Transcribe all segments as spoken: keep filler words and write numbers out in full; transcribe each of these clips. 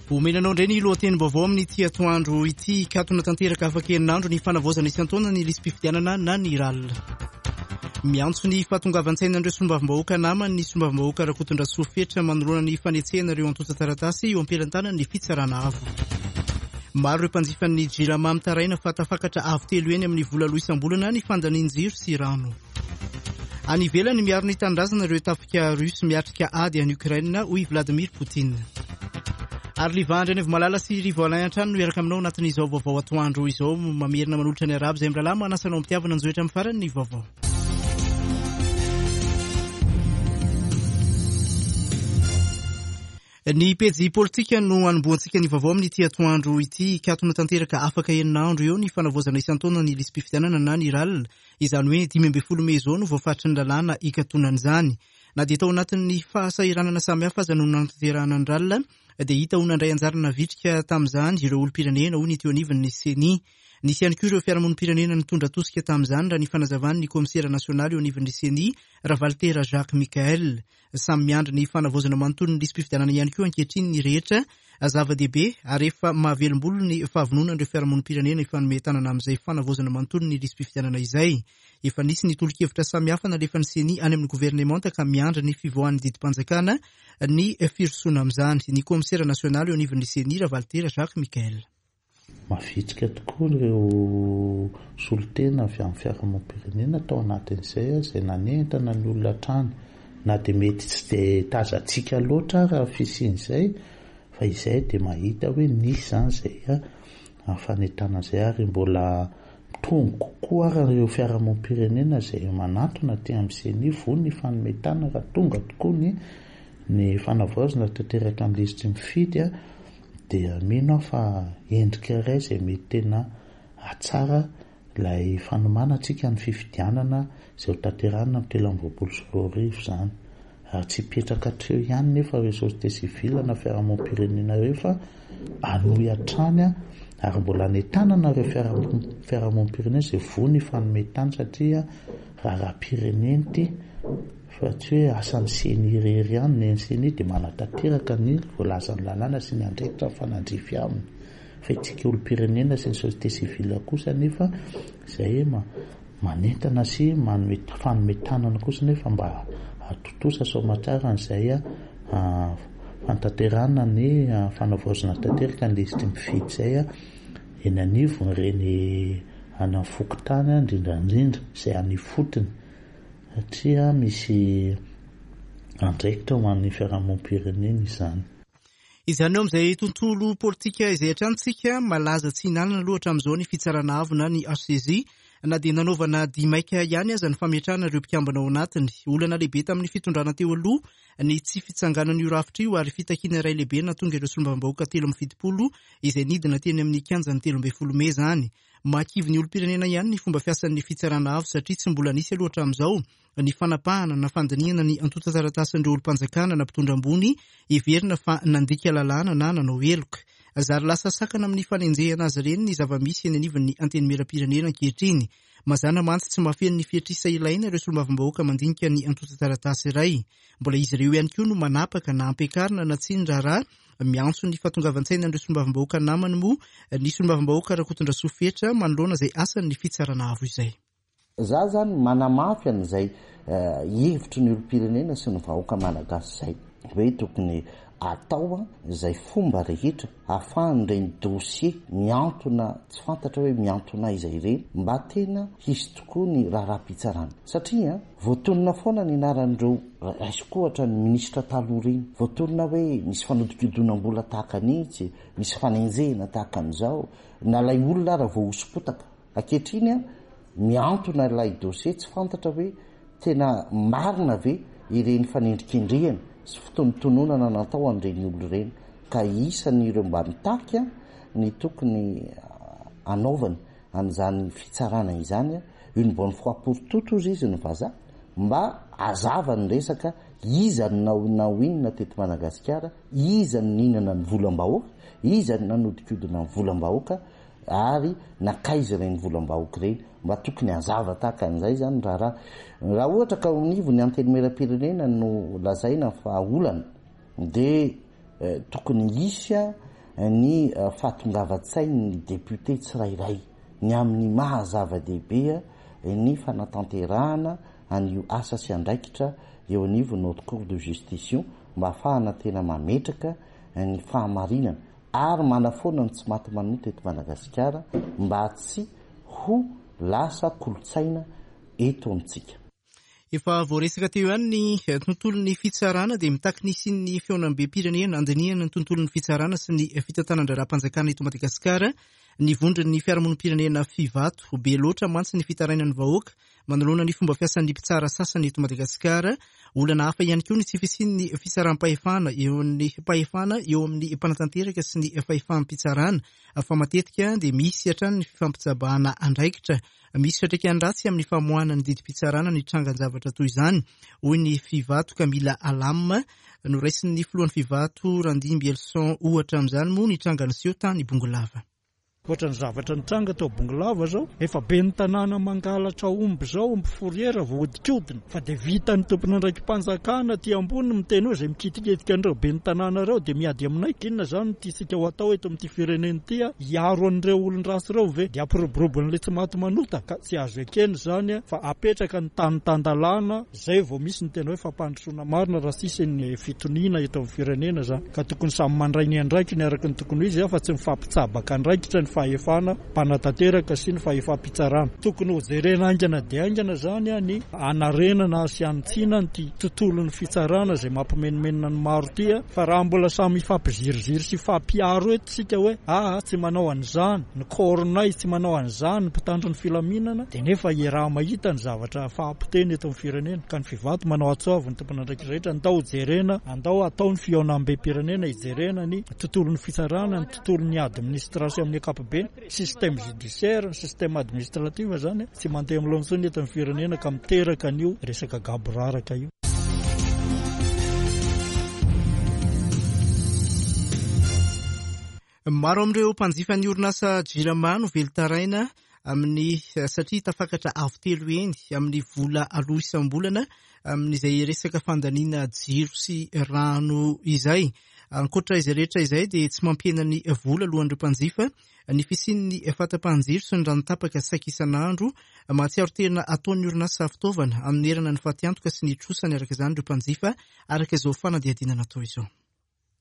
Omena anao indray ny lohatenim-baovao amin'ity atoandro ity. Hikatona tanteraka afaka herinandro ny fanavaozana isan-taona ny lisi-pifidianana na ny R A L. Miantso ny fahatongavan-tsainan'ireo solombavambahoaka namany ny solombavambahoaka Rakotondrasoa Fetra manoloana ny fanetsehana ireo antontan-taratasy eo am-pelantanan'ny fitsarana avo. Maro ireo mpanjifan'ny Jirama mitaraina fa tafakatra avo telo eny amin'ny vola aloa isam-bolana ny fandanian-jiro sy rano. Any ivelany, miaro ny tanindrazana ireo tafika russe miatrika ady any Ukraine, hoy Vladimir Poutine. Ary Livandry any Malala sy Rivo Alain an-trano no hiaraka aminao anatin'izao vaovao atoandro izao. Mamerina manolotra ny arabo izay mirahalahy manasa anao am-pitiavana njoetra amin'ny farany ny vaovao. Ny pejy politika no anombohantsika ny vaovao amin'ity atoandro ity. Hikatona tanteraka afaka herinandro eo ny fanavaozana isan-taona ny lisi-pifidianana na ny R A L. Izany hoe dimy ambin'ny folo mey izao no voafaritry ny lalàna hikatonan'izany. Na dia tao anatin'ny fahasahiranana samihafa aza no nanatanterahana ny R A L, dia hita ho nandray anjara navitrika tamin'izany ireo olom-pirenena, hoy ny teo anivon'ny C E N I. Nisy ihany koa ireo fiarahamonim-pirenena nitondra tosika tamin'izany, raha ny fanazavan'ny kaomisera nasionaly eo anivon'ny C E N I, Ravalitera Jacques Michael. Samy miandry ny fanavaozana manontolo ny lisi-pifidianana ihany koa ankehitriny ny rehetra. Zava-dehibe ary efa mahavelombolo ny fahavononan'ireo fiarahamonim-pirenena hifanome tanana amin'izay fanavaozana manontolo ny lisi-pifidianana izay. Efa nisy ny tolo-kevitra samihafa nalefan'ny C E N I any amin'ny governemanta ka miandry ny fivoahan'ny didim-panjakana ny firosoana amin'izany. Ny kaomisera nasionaly eo anivon'ny C E N I, Ravalitera Jacques Michael. Mavitrika tokoa ireo solontena avy amin'ny fiarahamonim-pirenena tao anatin'izay izay nanentana ny olona hatrany, na dia mety tsy dia tazantsika loatra raha fisian'izay, fa izay dia mahita hoe nisy izany izay fanentanana izay, ary mbola mitombo kokoa ary ireo fiarahamonim-pirenena izay manatona aty amin'ny C E N I vonona hifanome tanana raha tonga tokoa ny ny fanavaozana tanteraka amin'ny lisitry mifidy. A dia mino aho fa endrika iray izay mety tena hatsara ilay fanomanantsika ny fifidianana izay ho tanterahina amin'ny telo amby roapolo sy roa arivo izany. Ary tsy hipetraka hatreo ihany nefa ireo société civile na fiarahamonim-pirenena ireo, fa hanohy hatrany a ary mbola anentanana ireo fiarahamonim-pirenena izay vonona hifanome tanana, satria raharaham-pirenena ity fa tsy hoe asan'ny C E N I irery ihany. Ny C E N I dia manatanteraka ny voalazan'ny lalàna sy ny andraikitra mifanandrify aminy, fa isika olom-pirenena sy ny société civile kosa nefa izay manentana sy manome fanome tanana kosa nefa mba hahatontosa soa aman-tsara an'izay a fanatanterahana ny fanavaozana tanteraka ny lisitry mifidy izay a eny anivon'ireny any amin'ny fokontany indrindrandrindra izay any ifotony, satria misy andraikitra ho an'ny fiarahamonim-pirenena izany. Izany eo amin'izay tontolo politika izay hatrany. Malaza tsy hinanana aloha hatramin'izao ny fitsarana avo na ny H C J, na dia nanaovana dimaika ihany aza ny fametrahana ireo mpikambana ao anatiny. Olana lehibe tamin'ny fitondrana teo aloha ny tsy fitsanganan'io rafitra io, ary fitakiana iray lehibe natonga ireo solombavambahoaka telo amby fitopolo izay nidina teny amin'ny kianjan'ny telo ambin'ny folo mey zany. Mahakivy ny olom-pirenena ihany ny fomba fiasan'ny fitsarana avo, satria tsy mbola nisy aloha hatramin'izao ny fanapahana na fandinihana ny antontan-taratasin'ireo olom-panjakana na mpitondra ambony heverina fa nandika lalàna na nanao heloka. Zary lasa sakana amin'ny fanenjehana azy ireny ny zava-misy eny anivon'ny antenimieram-pirenena ankehitriny. Mazana mantsy tsy mahafeno ny fetr'isa ilaina ireo solombavambahoaka mandinika ny antontan-taratasy iray. Mbola izy ireo ihany koa no manapaka na ampiakarina na tsy ny raharaha. Miantso ny fahatongavan-tsaina ireo solombavambahoaka namany moa ny solombavambahoaka Rakotondrasoa Fetra manoloana izay asan'ny fitsarana avo izay. Za zany manamafy an'izay hevitry ny olom-pirenena sy ny vahoaka malagasy zay hoe tokony atao a zay fomba rehetra ahafahan'ireny dossier miantona tsy fantatra hoe miantona aiza ireny mba tena hisy tokoa ny raharaham-pitsarana, satria voatonona foana ny anaran'ireo, raisiko ohatra ny ministra taloha reny, voatonona hoe misy fanodikodinam-bola tahaka anitsy, misy fanenjehina tahaka an'izao, na lay olona raha voahosopotaka. Ankehitriny a miantona ilay dossier, tsy fantatra hoe tena marina ve ireny fanendrikendrehana sy fitonontononana natao an'ireny olo ireny, ka isany ireo mba mitaky ny tokony anaovana an'izany fitsarana izany une bonne fois pour toutes, ozy izy ny vazaha, mba azava ny resaka iza nao nao inona teto Madagasikara, iza ny nihinana ny volam-bahoaka, iza ny nanodikodina ny volam-bahoaka, ary nakaiza ireny volam-bahoaka ireny. Mba tokony hazava tahaka an'izay zany raharaha. Raha ohatra ka onivo ny antenimieram-pirenena no lazaina fa olana, de tokony hisy a ny fahatongavan-tsain'ny député tsirairay ny amin'ny maha zava-dehibe ny fanatanterahana an'io asa sy andraikitra eo anivon'ny Haute Cour de Justice io mba ahafahana tena mametraka ny fahamarinana ary manafoana ny tsy maty manota eto Madagasikara mba tsy ho lasa kolontsaina eto amintsika. Efa voaresaka teo ihany ny tontolon'ny fitsarana dia mitaky ny hisian'ny fihaonambem-pirenena andinihana ny tontolon'ny fitsarana sy ny fitantanan-draharaham-panjakana eto Madagasikara ny vondron'ny fiarahamonim-pirenena Fivato. Be loatra mantsy ny fitarainan'ny vahoaka manoloana ny fomba fiasan'ny mpitsara sasany eto Madagasikara. Olana hafa ihany koa ny tsy fisian'ny fisaram-pahefana eo amin'ny fahefana eo amin'ny mpanatanteraka sy ny fahefam-pitsarana fa matetika dia misy hatrany ny fifampitsabahana andraikitra. Misy fiantraikany ratsy amin'ny famoahana ny didim-pitsarana ny trangan-javatra toy izany, hoy ny Fivato ka mila alamina. Noraisin'ny filohan'ny Fivato Randimby Elson ohatra amin'izany moa ny tranga niseho tany Bongolava. Ohatra ny zavatra nitranga tao Bongolava zao, efa be ny tanàna mangalatra omby zao, omby fourrière voahodikodina, fa dia vita ny tompon'andraiki-panjakana aty ambony miteny hoe izay mikitikitika an'ireo be ny tanàna ireo dia miady aminay. Inona zany no tiantsika ho atao eto amin'ity firenena ity? Hiaro an'ireo olon-dratsy ireo ve? Dia ampiroborobo tsy maty manota ka tsy azo ekena izany fa apetraka ny tany tan-dalàna izay vao misy ny tena hoe fampandrosoana marina raha tsisy ny fitoniana eto amin'ny firenena zany. Ka tokony samy mandray ny andraikiny araka ny tokony ho izy fa tsy mifampitsabaka andraikitra ny fahefana mpanatanteraka sy ny fahefam-pitsarana. Tokony ho jerena haingana dia haingana zany ny anarenana sy anitsiana ny tontolon'ny fitsarana izay mampimenomenona ny maro ty, fa raha mbola samy mifampiziriziry sy fampiaro eto tsika hoe ah tsy manao an'izany ny koronay, tsy manao an'izany ny mpitandro ny filaminana, dia nefa iaraha mahita ny zavatra fahampoteny eto amin'ny firenena. Ka ny Fivato manao antso avo ny tompon'andraikitra rehetra, andao jerena, andao atao ny fihaonambem-pirenena hijerena ny tontolon'ny fitsarana, ny tontolon'ny administration amin'ny ankapobeny, système judiciaire, ny système administratif zany tsy mandeha amin'ny laoniny intsony eto amin'ny firenena ka miteraka an'io resaka gaboraraka io. Maro amin'ireo mpanjifa ny orinasa Jirama no velon-taraina amin'ny satria tafakatra avo telo eny amin'ny vola aloha isam-bolana amin'izay resaka fandaniana jiro sy rano izay. Ankoatra izay rehetra izay dia tsy mampihena ny vola alohan'ireo mpanjifa ny fisian'ny fahatapahan-jiro sy ny rano tapaka saika isan'andro. Mahatsiaro tena ataon'ny orinasa fitaovana anonerana ny fatiantoka sy ny trosany araka izany ireo mpanjifa araka izao fanadihadiana natao izao.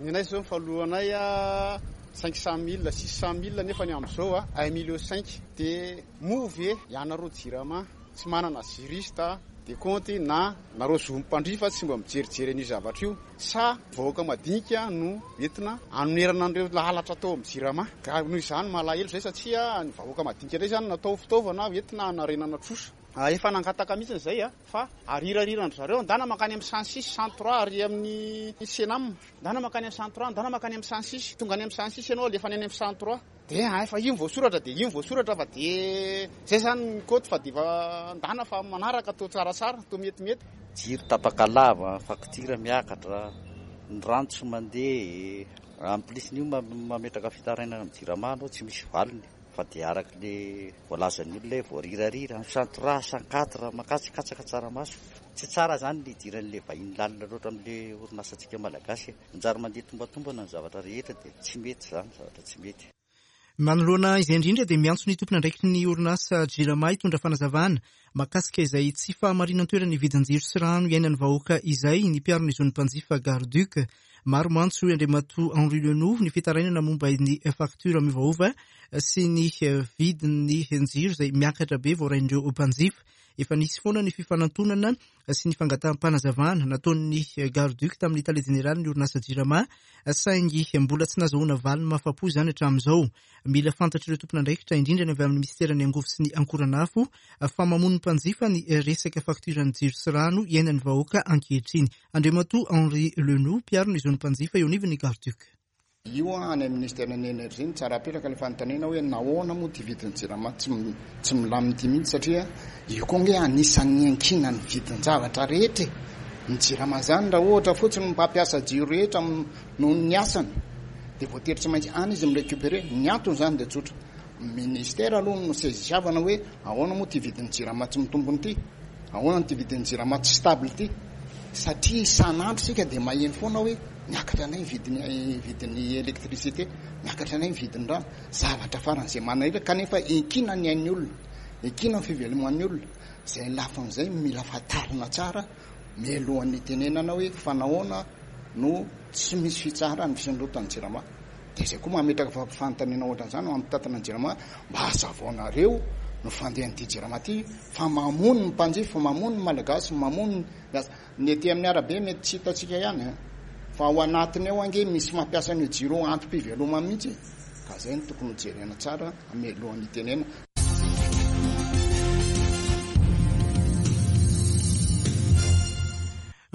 Ny anay zao ny falohanay a cinq cent mille, six cent mille nefa ny amin'izao a un million cinq. Dia moa ve ianareo Jirama tsy manana juriste de compte na nareo zo mpandrifa tsy mba mijerijery an'io zavatra io, sa vahoaka madinika no entina anonerana an'ireo lalatra atao amin'ny Jirama? Ka noho izany malahelo zay satria ny vahoaka madinika indray zany natao fitaovana entina hanarenana trosa. Efa nangataka mihitsy izay a fa arirariran-dry zareo andana mankany amin'ny cent six, cent trois ary amin'ny Senam, andana mankany amin'ny cent trois, andana mankany amin'ny cent six, tonga any amin'ny cent six ianao alefa any amin'ny cent trois. Dia efa io voasoratra dia io voasoratra fa dia zay zany ny kaoty fa dia efa andana fa manaraka toa tsaratsara, toa metimety. Jiro tapaka lava, faktiora miakatra, ny rano tsy mandeha, en plus n'io mametraka fitarainana amin'ny Jirama anao tsy misy valiny. Fa dia araka le voalazan'ny olona hoe voarirarira, cent trois, cent quatre, makatsa tsaramaso. Tsy tsara zany ny idiran'le vahiny lalina loatra amin'le orinasantsika malagasy. Manjary mandeha tombatombana ny zavatra rehetra dia tsy mety zany, zavatra tsy mety. Manoloana izay indrindra dia miantso ny tompon'andraikitry ny orinasa Jirama hitondra fanazavana mahakasika izay tsy fahamarinan-toeran'ny vidin-jiro sy rano iainan'ny vahoaka izay ny mpiaro ny zon'ny mpanjifa Garduc. Maro mantsy hoy Andriamatoa Henri Lenoux ny fitarainana momba ny faktiora miovaova sy ny vidin'ny jiro izay miakatra be voarain'ireo mpanjifa. Efa nisy foana ny fifanantonana sy ny fangataham-panazavana nataon'ny Garduc tamin'ny tale jeneraly ny orinasa Jirama, saingy mbola tsy nazahoana valiny mahafapo izany hatramin'izao. Mila fantatr'ireo tompon'andraikitra indrindra ny avy amin'ny minisiteran'ny angovo sy ny ankoranafo fa mamono ny mpanjifa ny resaka faktioran'ny jiro sy rano iainan'ny vahoaka ankehitriny. Andriamatoa Henri Lenoux, mpiaro ny zon'ny mpanjifa eo anivon'ny Garduc. Io any amin'ny ministeran'ny énergie ny tsara apetraka ilay fanontaniana hoe nahoana moa ty vidin'ny Jirama tsy tsy milamina ity mihitsy, satria io koa nge anisan'ny ankinan'ny vidin-javatra rehetra. Ny Jirama zany raha ohatra fotsiny mpampiasa jiro rehetra noho ny asany dia voatery tsy maintsy any izy mirécupérer. Ny antony zany dia tsotra, ministère aloha no sezisiavana hoe ahoana moa ty vidin'ny Jirama tsy mitombony ity, ahoana ty vidin'ny Jirama tsy stable ity, satria isan'andro sika dia maheno foana hoe Miakatra indray ny vidin'ny vidin'ny électricité, miakatra indray ny vidin'ny rano, zavatra faran'izay manahirana kanefa ekina ny ain'ny olona, ekina ny fiveloman'ny olona. Izay lafin'izay mila fantarina tsara mialohan'ny hitenenana hoe fa nahoana no tsy misy fitsaharana ny fisondrotan'ny Jirama. Dia izay koa mametraka fanontaniana ohatran'izany ho amin'ny mpitantana ny Jirama, mba hazavaonareo no fandehan'ity Jirama ity fa mamono ny mpanjifa, mamono ny Malagasy, mamono ny asa. Ny ety amin'ny arabe mety tsy hitantsika ihany e, fa ao anatiny ao ange misy mampiasa an'io jiro antom-pivelomana mihitsy e. Ka izay no tokony hojerena tsara mialohan'ny hitenenana.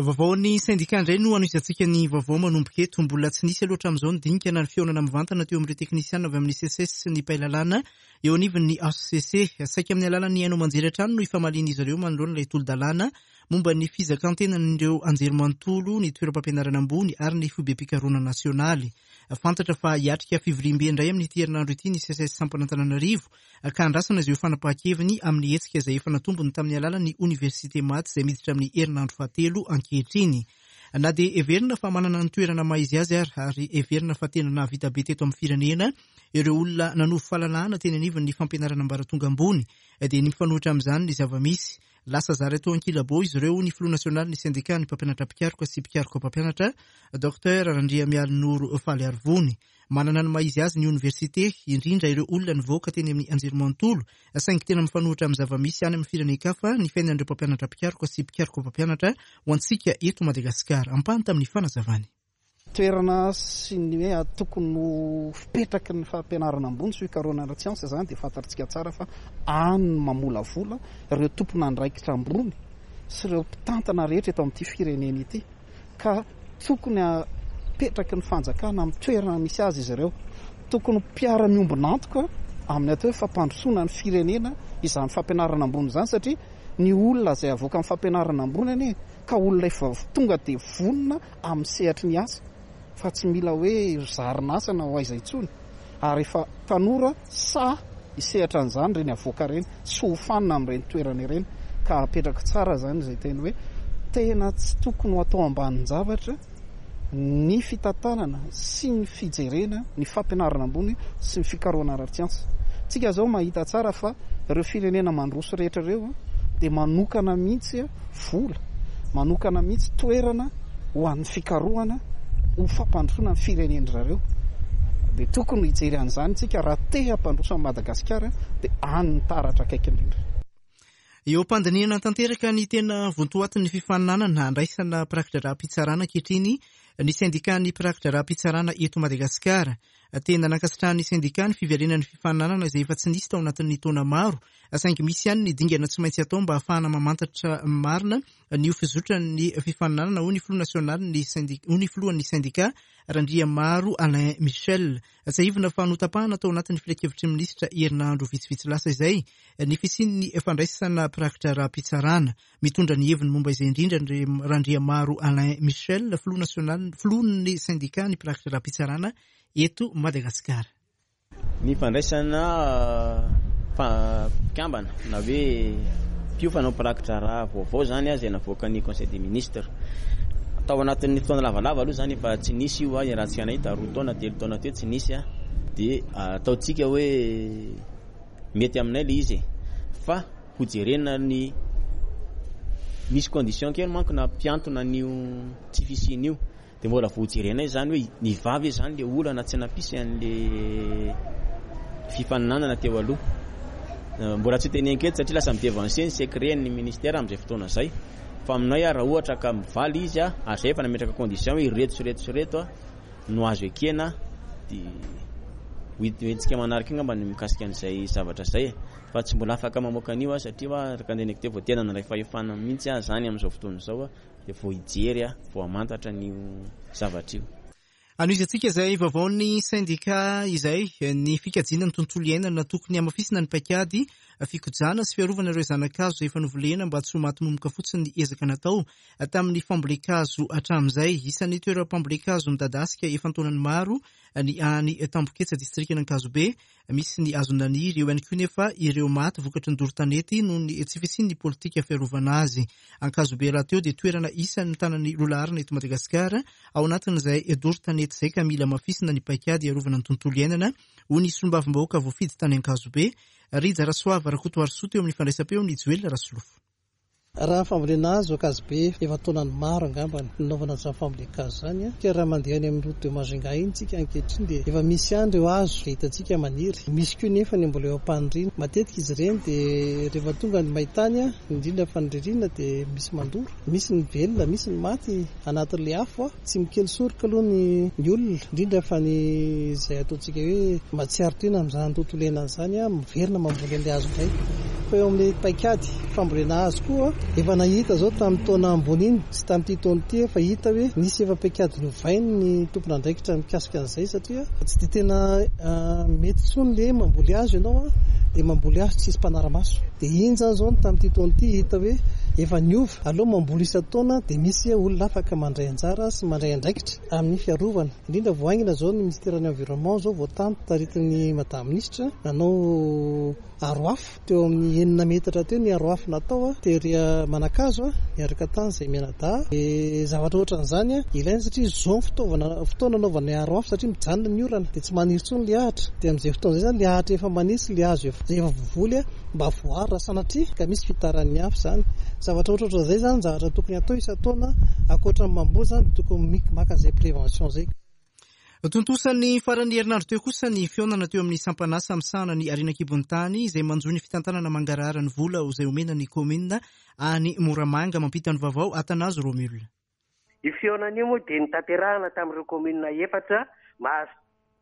Vaovaon'ny sendika indray no anohizantsika ny vaovao manomboka eto. Mbola tsy nisy aloha hatramin'izao ny dinika na ny fihaonana mivantana teo amin'ireo teknisiana avy amin'ny C S S sy ny mpailalàna eo anivon'ny H C C. Saika amin'ny alalan'ny haino aman-jery hatrany no ifamalian'izy ireo manoloana ilay tolo-dalàna momba ny fizakan-tenan'ireo anjerimanontolo, ny toeram-pampianarana ambony ary ny foibem-pikarohana nasionaly. Fantatra fa hiatrika fivoriambe indray amin'ity herinandro ity ny C S S Sampan'Antananarivo ka andrasana izay ho fanapahan-keviny amin'ny hetsika izay efa natombony tamin'ny alalan'ny oniversite maty izay miditra amin'ny herinandro fahatelo ankehitriny. Na dia heverina fa manana ny toerana maha izy azy ary ary heverina fa tena nahavita be teto amin'ny firenena ireo olona nanovo fahalalahana teny anivon'ny fampianarana ambaratonga ambony, dia ny mifanohitra amin'izany ny zava-misy. Lasa zary atao ankilabao izy ireo ny filoha nasionaly ny sendika ny mpampianatra mpikaroka sy mpikaroka mpampianatra Docteur Randriamialinoro Faly Arivony. Manana ny maha izy azy ny oniversite, indrindra ireo olona nivoaka teny amin'ny anjerimanontolo, saingy tena mifanohitra amin'ny zava-misy any amin'ny firenen-kafa ny fiainan'ireo mpampianatra mpikaroka sy mpikaroka mpampianatra ho antsika eto Madagasikara. Ampahany tamin'ny fanazavany. Toerana sy ny hoe tokony ho fipetraky ny fampianarana ambony sy fikarohana ara-tsiansa izany dia fantatsika tsara fa any no mamolavola ireo tompon'andraikitra ambony sy ireo mpitantana rehetra eto amin'ity firenena ity, ka tokony apetraky ny fanjakana amin'ny toerana misy azy izy ireo. Tokony mpiara-miombon'antoka amin'ny atao hoe fampandrosoana ny firenena izany fampianarana ambony izany, satria ny olona izay avoaka amin'ny fampianarana ambony anie ka olona efa tonga dia vonona amin'ny sehatry ny asa fa tsy mila hoe zarina asa na ho aiza intsony, ary efa tanora sa hisehatra an'izany ireny avoaka ireny sy ho fanina amin'ireny toerana ireny. Ka apetraka tsara izany izay teny hoe tena tsy tokony ho atao ambanin-javatra ny fitantanana sy ny fijerena ny fampianarana ambony sy ny fikarohana ara-tsiansa. Tsika izao mahita tsara fa ireo firenena mandroso rehetra ireo dia manokana mihitsy vola, manokana mihitsy toerana ho an'ny fikarohana ho fampandrosoana ny firenena zareo. Dia tokony hijery an'izany tsika raha te hampandroso an'i Madagasikara, dia any ny taratra akaiky indrindra. Eo am-pandinihana tanteraka ny tena vontoatin'ny fifaninanana andraisana mpirakidraharaha-pitsarana ankehitriny ny sendikan'ny mpirakidraharaha-pitsarana eto Madagasikara. Tena nankasitrahan'ny sendika ny fiverenan'ny fifaninanana izay efa tsy nisy tao anatin'ny taona maro, saingy misy ihany ny dingana tsy maintsy atao mba hahafahana mamantatra marina ny ho fizotran'ny fifaninanana, hoy ny filoha nasionalin'ny sendika, hoy ny filohan'ny sendika Randriamaro Alain Michel. Tsiahivina fa notapahana tao anatin'ny filankevitry ny minisitra herinandro vitsivitsy lasa izay ny fisian'ny fandraisana mpirakidraharaha-pitsarana. Mitondra ny heviny momba izay indrindra Randriamaro Alain Michel, filoha nasionaly, filohan'ny sendika ny mpirakidraharaha-pitsarana eto Madagasikara. Ny fandraisana mpikambana na hoe mpiofana mpirakidraharaha vaovao zany izay navoakan'ny Conseil des ministres. Tao anatin'ny fotoana lavalava aloha zany efa tsy nisy io, raha tsy nahita roa taona telo taona teo tsy nisy, dia ataontsika hoe mety aminay ilay izy, fa hojerena ny misy condition kely manko na mpiantona an'io tsy fisiana io, dia mbola voajerenay zany hoe ny vavy zany le olana tsy nampisy an'le fifaninanana teo aloha. Mbola tsy teneniko eto satria lasa midevancer ny secret ny ministère amin'izay fotoana izay, fa aminay raha ohatra ka mivaly izy ary izay efa nametraka condition hoe ireto sy ireto sy ireto no azo ekena, dia ho hetsika manaraka angamba ny mikasika an'izay zavatra izay, fa tsy mbola afaka mamoaka an'io satria araka ny teneniko teo vao tena nandray fahefana mihitsy aho zany amin'izao fotoana izao, dia vao hijery vao hamantatra an'io zavatra io. Anohizantsika izay vaovaon'ny sendika izay ny fikajiana ny tontolo iainana. Tokony hamafisina ny paikady Fikojana sy fiarovana ireo zana-kazo efa novolena mba tsy ho maty momoka fotsiny ny ezaka natao tamin'ny fambolen-kazo hatramin'izay. Isan'ny toeram-pambolen-kazo midadasika efa an-taonany maro ny any Tamboketsa, distrikan'Ankazobe. Misy ny hazo naniry, eo ihany koa nefa ireo maty vokatry ny doro tanety noho ny tsy fisian'ny politika fiarovana azy. Ankazobe rahateo dia toerana isan'ny mitana ny lohalaharana eto Madagasikara ao anatin'izay doro tanety izay, ka mila hamafisina ny paikady hiarovana ny tontolo iainana, hoy ny solombavambahoaka voafidy tany Ankazobe, Rija Rasoava Rakotoarisoa, teo amin'ny fandraisam-peo ny Joel Rasolofo. Raha ny fambolena hazo Ankazobe efa taonany maro angamba ny nanaovana an'izany fambolen-kazo izany. Ka raha mandeha any amin'ny route de Majunga iny tsika ankehitriny dia efa misy ihany ireo hazo izay hitantsika maniry. Misy koa nefa ny mbola eo am-paniriana. Matetika izy ireny dia rehefa tonga ny maintany, indrindra fa ny ririnina, dia misy mandoro. Misy ny velona, misy ny maty anatin'ilay afo. Tsy mikely soroka aloha ny ny olona, indrindra fa ny izay ataontsika hoe mahatsiaro tena amin'izany tontolo iainana izany, miverina mamboly an'ilay hazo indray. Fa eo amin'ilay paikady fambolena hazo koa, efa nahita izao tamin'ny taona ambony iny sy tamin'ity taona ity, efa hita hoe nisy efa paikady novainy ny tompon'andraikitra mikasika an'izay, satria tsy dia tena mety intsony ilay mamboly hazo ianao dia mamboly hazo tsisy mpanara-maso. Dia iny izany izao tamin'ity taona ity hita hoe efa niova. Aloha mamboly isan-taona dia misy olona afaka mandray anjara sy mandray andraikitra amin'ny fiarovana. Indrindra vao haingana izao ny ministeran'ny environnement izao vao tany taritin'ny madame ministra nanao aro afo teo amin'ny enina metatra teo ny aro afo natao tery Manankazo miaraka tany izay mianadahy. Dia zavatra ohatran'izany ilaina satria izao ny fitaovana fotoana anaovana aro afo, satria mijanona ny orana dia tsy maniry intsony ilay ahitra. Dia amin'izay fotoana izay izany ilay ahitra efa maniry sy ilay hazo efa efa voavoly mba voaro raha sanatria ka misy fitaran'ny afo izany. Zavatra ohatrohatran'izay izany zavatra tokony atao isan-taona ankoatra ny mamboly izany dia tokony maka izay prévention izay. Tontosa ny faran'ny herinandro teo kosa ny fihaonana teo amin'ny sampanasa misahana ny harena an-kibon'ny tany izay manjo ny fitantanana mangarahara ny vola izay omena ny kaominina any Moramanga. Mampita ny vaovao Atanazo Romule. Io fihaonana io moa dia notanterahana tamin'ireo kaominina efatra mahazo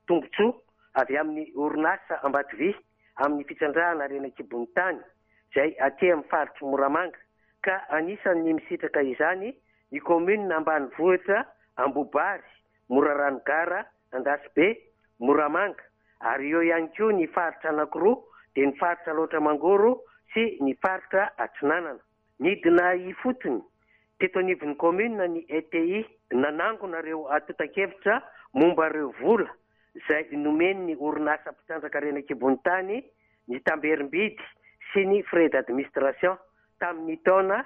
tombontsoa avy amin'ny orinasa Ambatovy amin'ny fitrandrahana harena an-kibon'ny tany izay aty amin'ny faritry Moramanga, ka anisan'ny misitraka izany ny kaominina ambanivohitra Ambobary, Morarano Gara, Andasibe, Moramanga, ary eo ihany koa ny faritra anankiroa dia ny faritra Alaotra Mangoro sy ny faritra Atsinanana. Nidina ifotony teto anivon'ny kaominina ny E T I nanangona ireo antontan-kevitra momba ireo vola izay nomen'ny orinasa mpitrandraka harena an-kibon'ny tany, ny tamberim-bidy sy ny frais d'administration tamin'ny taona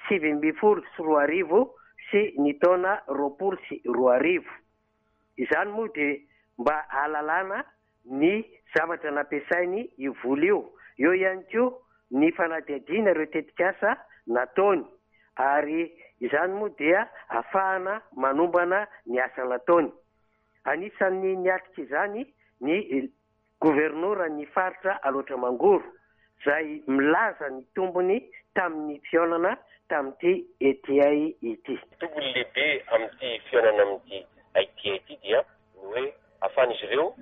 sivy ambin'ny folo sy roa arivo sy ny taona roapolo sy roa arivo. Izany moa dia mba ahalalana ny zavatra nampiasainy io vola io. Eo ihany koa ny fanadihadiana ireo tetikasa nataony, ary izany moa dia ahafahana manombana ny asa nataony. Anisan'ny niatrika izany ny governora ny faritra Alaotra Mangoro izay milaza ny tombony tamin'ny fihaonana tamin'ity E T I ity. Tombony lehibe amin'ity fihaonana amin'ity I T I ity dia ny hoe ahafahan'izy ireo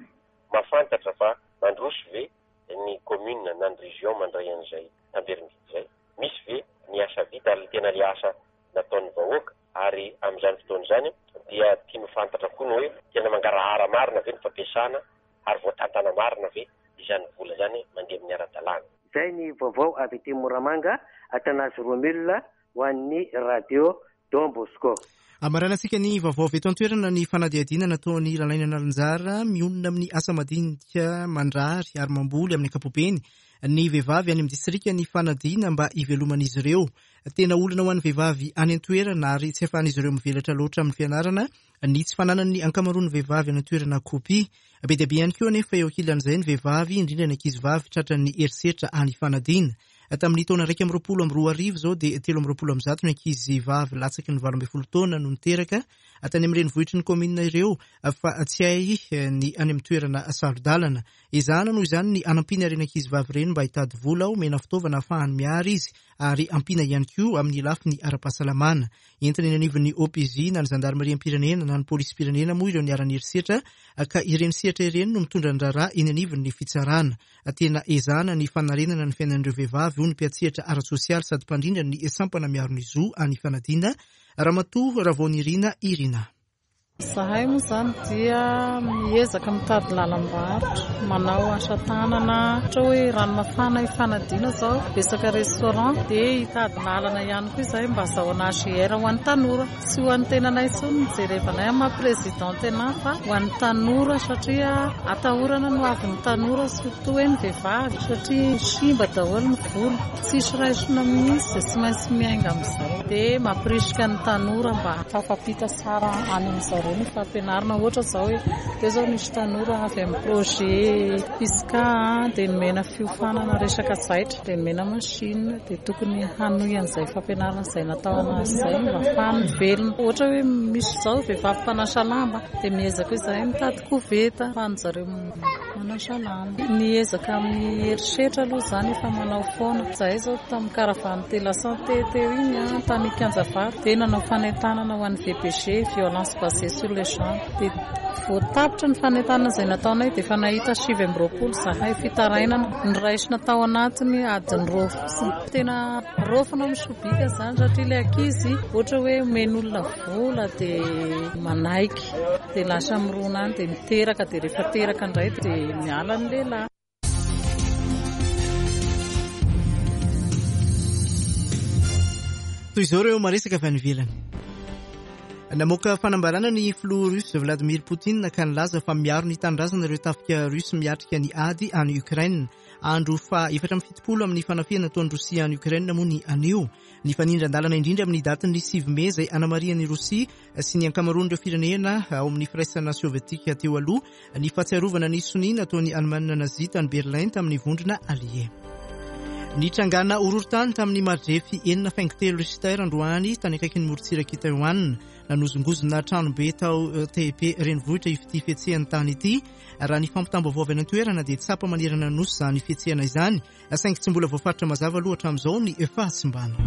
mahafantatra fa mandroso ve ny commune na ny région mandray an'izay tamberim-bidy izay, misy ve ny asa vita ary tena le asa nataon'ny vahoaka, ary amin'izany fotoana izany dia tiany ho fantatra koa ny hoe tena mangarahara marina ve ny fampiasana ary voatantana marina ve izany vola izany mandeha amin'ny ara-dalàna. Izay ny vaovao avy aty Moramanga, Atanazy Romule ho an'ny radio Don Bosco. Amaranantsika ny vaovao avy eto an-toerana ny fanadihadiana nataon'ny Lalaina Nalinjara mionona amin'ny asa madinika mandrary ary mamboly amin'ny ankapobeny ny vehivavy any amin'ny distrika ny fanadihina mba hiveloman'izy ireo. Tena olana ho an'ny vehivavy any an-toerana ary tsy ahafahan'izy ireo mivelatra loatra amin'ny fianarana ny tsy fananan'ny ankamaroan'ny vehivavy any an-toerana kopia. Be dia be ihany koa anefa eo ankilan'izay ny vehivavy, indrindra ny ankizivavy tratran'ny herisetra any Ifanadiana. Tamin'ny taona iraika amby roapolo amby roa arivo izao dia telo amby roapolo amby zato ny ankizivavy latsaky ny valo ambin'ny folo taona no niteraka tany amin'ny renivohitry ny kaominina ireo, fa tsy hay ny any amin'ny toerana saro-dalana. Ezahana noho izany ny hanampiana ireny ankizivavy ireny mba hitady vola, omena fitaovana ahafahany miary izy ary ampiana ihany koa amin'ny lafiny ara-pahasalamana. Entina eny anivon'ny O P J na ny zandarimariam-pirenena na ny polisim-pirenena moa ireo niharan'ny herisetra, ka ireny sehatra ireny no mitondra ny raharaha eny anivon'ny fitsarana. Tena ezahana ny fanarenana ny fiainan'ireo vehivavy, hoy ny mpiantsehatra ara-tsosialy sady mpandrindra ny sampana miaro ny zo any Ifanadiana, Ramatoa Ravaonirina Irina. Izahay moa izany dia miezaka mitady lalam-barotra, manao asa tanana, ohatra hoe rano mafana ifanadiana izao, betsaka restaurant, dia hitady lalana ihany koa izahay mba azahoana A G R ho an'ny tanora. Tsy ho an'ny tenanay intsony no jerevanay amin'ny maha présidente anahy fa ho an'ny tanora, satria atahorana no avin'ny tanora, surtout hoe ny vehivavy, satria simba daholo ny vola, tsisy raisina mihitsy, dia tsy maintsy miainga amin'izay. Dia mampirisika ny tanora mba tafampita tsara any amin'izareo ny fampianarana, ohatra izao hoe teo izao nisy tanora avy amin'ny projet Fisca, dia nomena fiofanana resaka zaitra, dia nomena machine, dia tokony hanohy an'izay fampianarana izay natao anazy izay mba ahafahany mivelona. Ohatra hoe misy izao vehivavy mpanasa lamba, dia miezaka izahay mitady koveta ahafahan'zareo manasa lamba. Ny ezaka amin'ny herisetra aloha izany efa manao foana. Izahay izao tamin'ny caravane de la santé teo iny tany Kianjavato, dia nanao fanentanana ho an'ny V B G, violence basée sur le genre, dia voatapitra ny fanentanana izay nataonay, dia efa nahita sivy amby roapolo zahay fitarainana noraisina tao anatiny adiny roa fotsiny. Tena raofina misobika izany, satria ilay ankizy ohatra hoe omen'olona vola dia manaiky, dia lasa mirona any, dia miteraka, dia rehefa teraka indray dia miala ny lehilahy. Toy izao ireo maresaka avy any ivelany. Namoaka fanambarana ny filoha russe Vladimir Poutine ka nilaza fa miaro ny tanindrazana ireo tafika russe miatrika ny ady any Ukraine. Andro fa efatra amby fitopolo amin'ny fanafihana nataon'i Rosia any Ukraine moa ny anio. Ny fanindran-dalana indrindra amin'ny datin'ny sivy mey izay anamarihan'ny Rosia sy ny ankamaroan'ireo firenena ao amin'ny firaisana sovietika teo aloha ny fahatsiarovana ny sonia nataon'ny Allemagne nazi tany Berlin tamin'ny vondrona allié. Nitrangana horohorontany tamin'ny maridrefy enina faingo telo Richter androany tany akaikin'ny morontsiraky Taiwan. Nanozongozona tranobe tao Taipei renivohitra ity fihetsehan'ny tany ity. Raha ny fampitam-baovao avy any an-toerana dia tsapa manerana nosy izany fihetsehana izany, saingy tsy mbola voafaritra mazava aloha hatramin'izao ny fahasimbana.